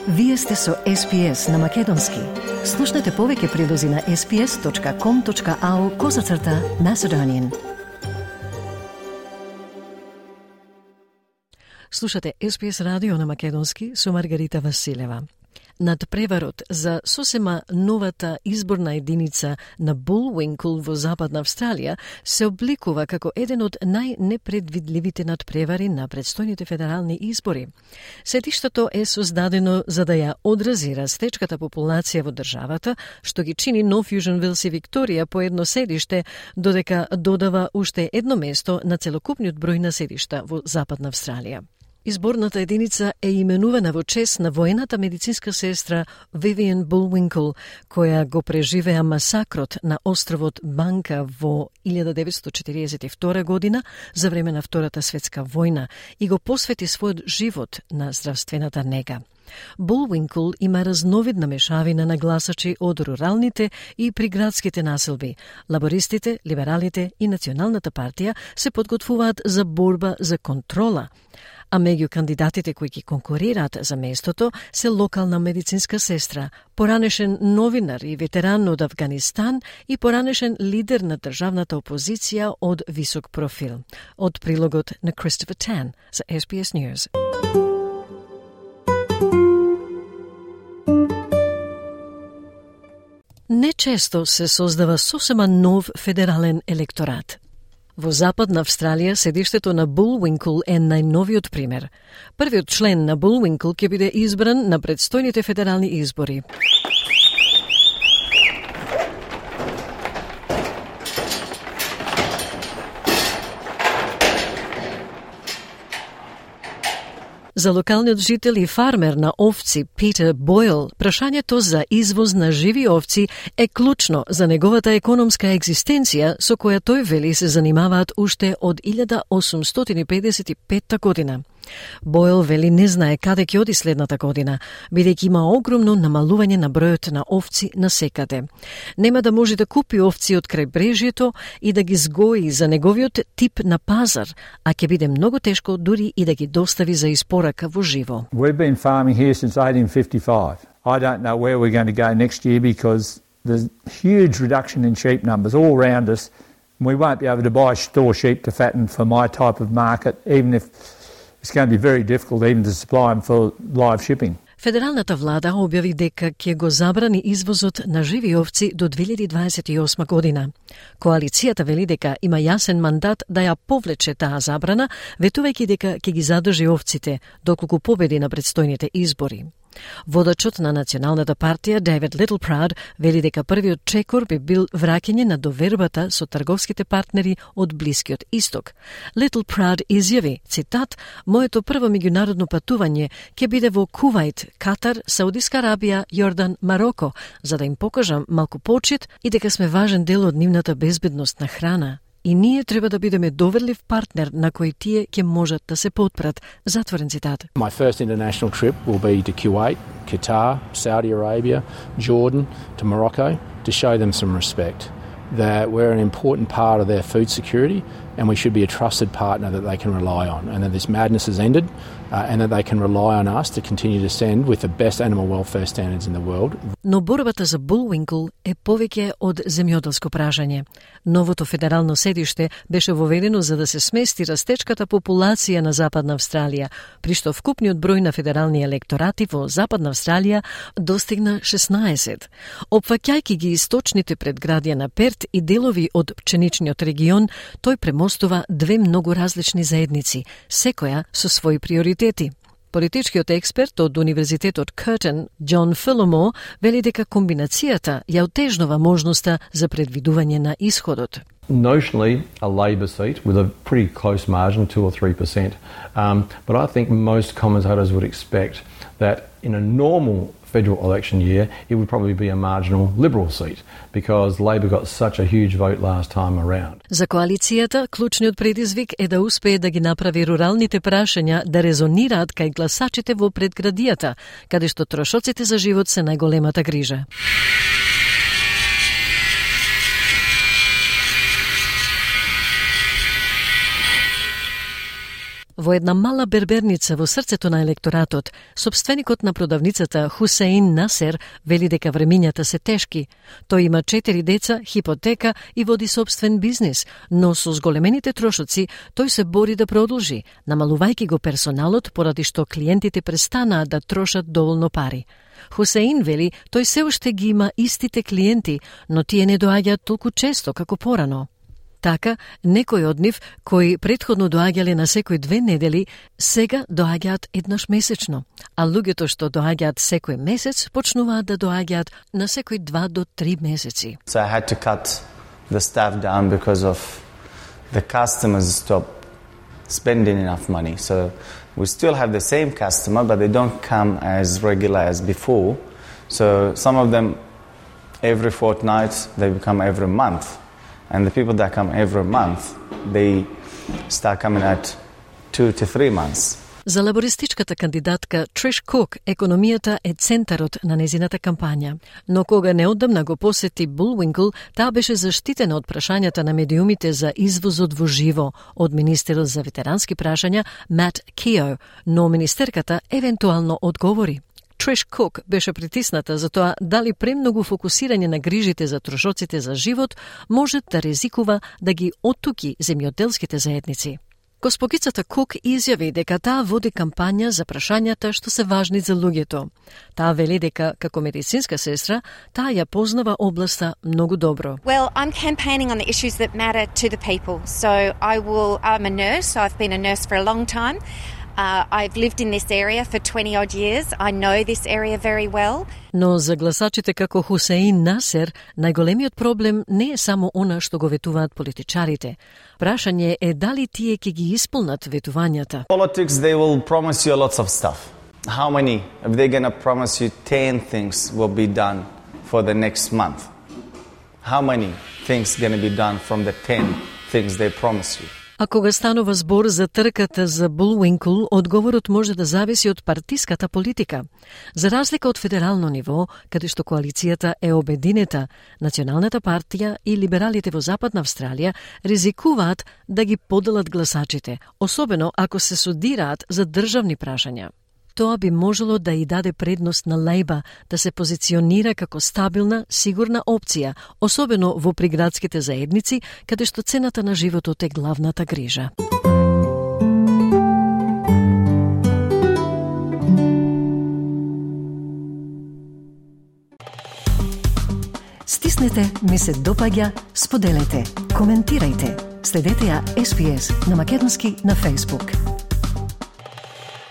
Вие сте со SPS на Македонски. Слушнете повеќе прилози на sps.com.au/Macedonian. Слушате SPS радио на Македонски со Маргарита Василева. Над преварот за сосема новата изборна единица на Булвинкул во Западна Австралија се обликува како еден од најнепредвидливите надпревари на предстојните федерални избори. Сетиштето е создадено за да ја одрази растечката популација во државата, што ги чини Нов Јужен Велс и Викторија по едно седиште, додека додава уште едно место на целокупниот број на седишта во Западна Австралија. Изборната единица е именувана во чест на воената медицинска сестра Вивиан Булвинкул, која го преживеа масакрот на островот Банка во 1942 година за време на Втората светска војна и го посвети својот живот на здравствената нега. Булвинкул има разновидна мешавина на гласачи од руралните и приградските населби. Лабористите, либералите и Националната партија се подготвуваат за борба за контрола, а меѓу кандидатите кои ги конкурираат за местото се локална медицинска сестра, поранешен новинар и ветеран од Авганистан и поранешен лидер на државната опозиција од висок профил. Од прилогот на Christopher Tan за SBS News. Нечесто се создава сосема нов федерален електорат. Во Западна Австралија седиштето на Булвинкул е најновиот пример. Првиот член на Булвинкул ќе биде избран на предстојните федерални избори. За локалниот жител и фармер на овци Питер Бойл, прашањето за извоз на живи овци е клучно за неговата економска екзистенција со која тој вели се занимаваат уште од 1855 година. Бойл вели не знае каде ќе оди следната година, бидејќи има огромно намалување на бројот на овци насекаде. Нема да може да купи овци од крајбрежјето и да ги сгои за неговиот тип на пазар, а ќе биде многу тешко дури и да ги достави за испорака во живо. We've been farming here since 1855. I don't know where we're going to go next year because there's huge reduction in sheep numbers all around us. We won't be able to buy store sheep to fatten for my type of market, even if it's going to be very difficult even to supply them for live shipping. Федералната влада објави дека ќе го забрани извозот на живи овци до 2028 година. Коалицијата вели дека има јасен мандат да ја повлече таа забрана, ветувајќи дека ќе ги задржи овците доколку победи на предстојните избори. Водачот на Националната партија Дейвид Литлпрауд вели дека првиот чекор би бил враќање на довербата со трговските партнери од Блискиот Исток. Литлпрауд изјави, цитат, "Моето прво меѓународно патување ќе биде во Кувајт, Катар, Саудиска Арабија, Јордан, Мароко, за да им покажам малку почит и дека сме важен дел од нивната безбедност на храна. И ние треба да бидеме доверлив партнер на кој тие ќе можат да се потпрат." Затворен цитат. My first international trip will be to Kuwait, Qatar, Saudi Arabia, Jordan, to Morocco to show them some respect. That we're an important part of their food security and we should be a trusted partner that they can rely on, and that this madness has ended and that they can rely on us to continue to send with the best animal welfare standards in the world. Но борбата за Булвинкул е повеќе од земјоделско прашање. Новото федерално седиште беше воведено за да се смести растечката популација на Западна Австралија, при што вкупниот број на федерални електорати во Западна Австралија достигна 16. Опфаќајќи ги источните предградија на Перт и делови од пченичниот регион, тој премостува две многу различни заедници, секоја со своји приоритети. Политичкиот експерт од Универзитетот Curtin, Џон Филомор, вели дека комбинацијата ја отежнува можноста за предвидување на исходот. Notionally, a Labor seat with a pretty close margin, 2 or 3%. But I think most commentators would expect that in a normal federal election year, it would probably be a marginal Liberal seat because Labor got such a huge vote last time around. За коалицијата, клучниот предизвик е да успее да ги направи руралните прашања да резонираат кај гласачите во предградијата, каде што трошоците за живот се најголемата грижа. Во една мала берберница во срцето на електоратот, сопственикот на продавницата Хусеин Насер вели дека времињата се тешки. Тој има 4 деца, хипотека и води собствен бизнис, но со зголемените трошоци тој се бори да продолжи, намалувајќи го персоналот поради што клиентите престанаа да трошат доволно пари. Хусеин вели тој се уште ги има истите клиенти, но тие не доаѓаат толку често како порано. Така, некои од нив, кои претходно доаѓале на секој 2 недели, сега доаѓаат еднаш месечно, а луѓето што доаѓаат секој месец почнуваат да доаѓаат на секој 2 до 3 месеци. So I had to cut the staff down because of the customers stopped spending enough money. So we still have the same customer, but they don't come as regular as before. So some of them every fortnight, they become every month. And the people that come every month, they start coming at 2 to 3 months. За лабористичката кандидатка Триш Кук, економијата е центарот на незината кампања. Но кога неодамна го посети Булвинкл, таа беше заштитена од прашањата на медиумите за извозот во живо од министерот за ветерански прашања Мат Кио, но министерката евентуално одговори. Триш Кук беше притисната за тоа дали премногу фокусирање на грижите за трошоците за живот може да ризикува да ги оттуки земјоделските заедници. Госпогицата Кук изјави дека таа води кампања за прашањата што се важни за луѓето. Таа вели дека како медицинска сестра, таа ја познава областа многу добро. Well, I'm campaigning on the issues that matter to the people. So I'm a nurse, so I've been a nurse for a long time. I've lived in this area for 20 odd years. I know this area very well. Но за гласачите како Хусеин Насер, најголемиот проблем не е само она што го ветуваат политичарите. Прашање е дали тие ќе ги исполнат ветувањата. Politics, they will promise you lots of stuff. How many? If they're going to promise you 10 things will be done for the next month. How many things going to be done from the 10 things they promise you? А кога станува збор за трката за Булвинкл, одговорот може да зависи од партиската политика. За разлика од федерално ниво, каде што коалицијата е обединета, Националната партија и либералите во Западна Австралија ризикуваат да ги поделат гласачите, особено ако се судираат за државни прашања. Тоа би можело да и даде предност на Лејба да се позиционира како стабилна, сигурна опција, особено во приградските заедници, каде што цената на животот е главната грижа. Стиснете, ми се допаѓа, споделете, коментирајте. Следете ја SPS на македонски на Facebook.